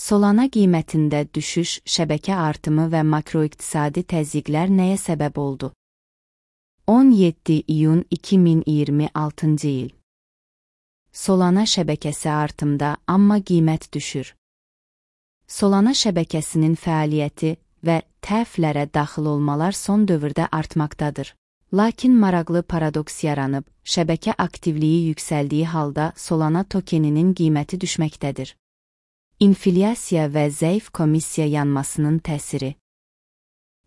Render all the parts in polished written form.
Solana qiymətində düşüş, şəbəkə artımı və makroiqtisadi təzyiqlər nəyə səbəb oldu? 17 iyun 2026 il. Solana şəbəkəsi artımda, amma qiymət düşür. Solana şəbəkəsinin fəaliyyəti və tərəflərə daxil olmalar son dövrdə artmaqdadır. Lakin maraqlı paradoks yaranıb, şəbəkə aktivliyi yüksəldiyi halda Solana tokeninin qiyməti düşməkdədir. İnflyasiya və zəif komissiya yanmasının təsiri.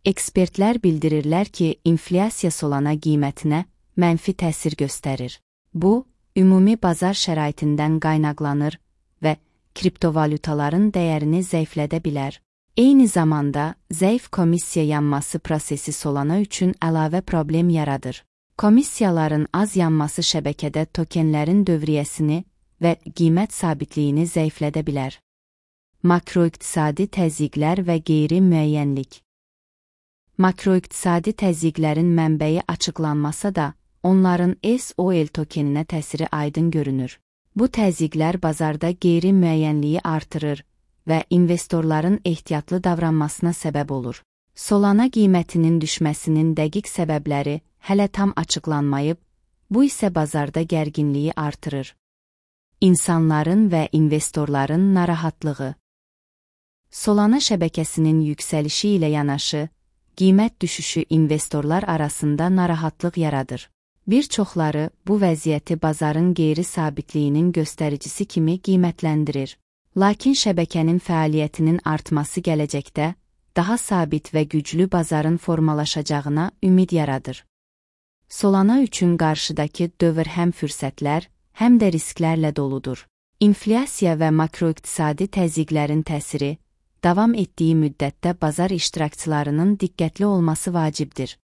Ekspertlər bildirirlər ki, inflyasiya Solana qiymətinə mənfi təsir göstərir. Bu, ümumi bazar şəraitindən qaynaqlanır və kriptovalutaların dəyərini zəiflədə bilər. Eyni zamanda, zəif komissiya yanması prosesi Solana üçün əlavə problem yaradır. Komissiyaların az yanması şəbəkədə tokenlərin dövriyyəsini və qiymət sabitliyini zəiflədə bilər. Makroiqtisadi təzyiqlər və qeyri-müəyyənlik. Makroiqtisadi təzyiqlərin mənbəyi açıqlanmasa da, onların SOL tokeninə təsiri aydın görünür. Bu təzyiqlər bazarda qeyri-müəyyənliyi artırır və investorların ehtiyatlı davranmasına səbəb olur. Solana qiymətinin düşməsinin dəqiq səbəbləri hələ tam açıqlanmayıb, bu isə bazarda gərginliyi artırır. İnsanların və investorların narahatlığı. Solana şəbəkəsinin yüksəlişi ilə yanaşı, qiymət düşüşü investorlar arasında narahatlıq yaradır. Bir çoxları bu vəziyyəti bazarın qeyri-sabitliyinin göstəricisi kimi qiymətləndirir. Lakin şəbəkənin fəaliyyətinin artması gələcəkdə daha sabit və güclü bazarın formalaşacağına ümid yaradır. Solana üçün qarşıdakı dövr həm fürsətlər, həm də risklərlə doludur. İnflyasiya və makroiqtisadi təzyiqlərin təsiri davam etdiyi müddətdə bazar iştirakçılarının diqqətli olması vacibdir.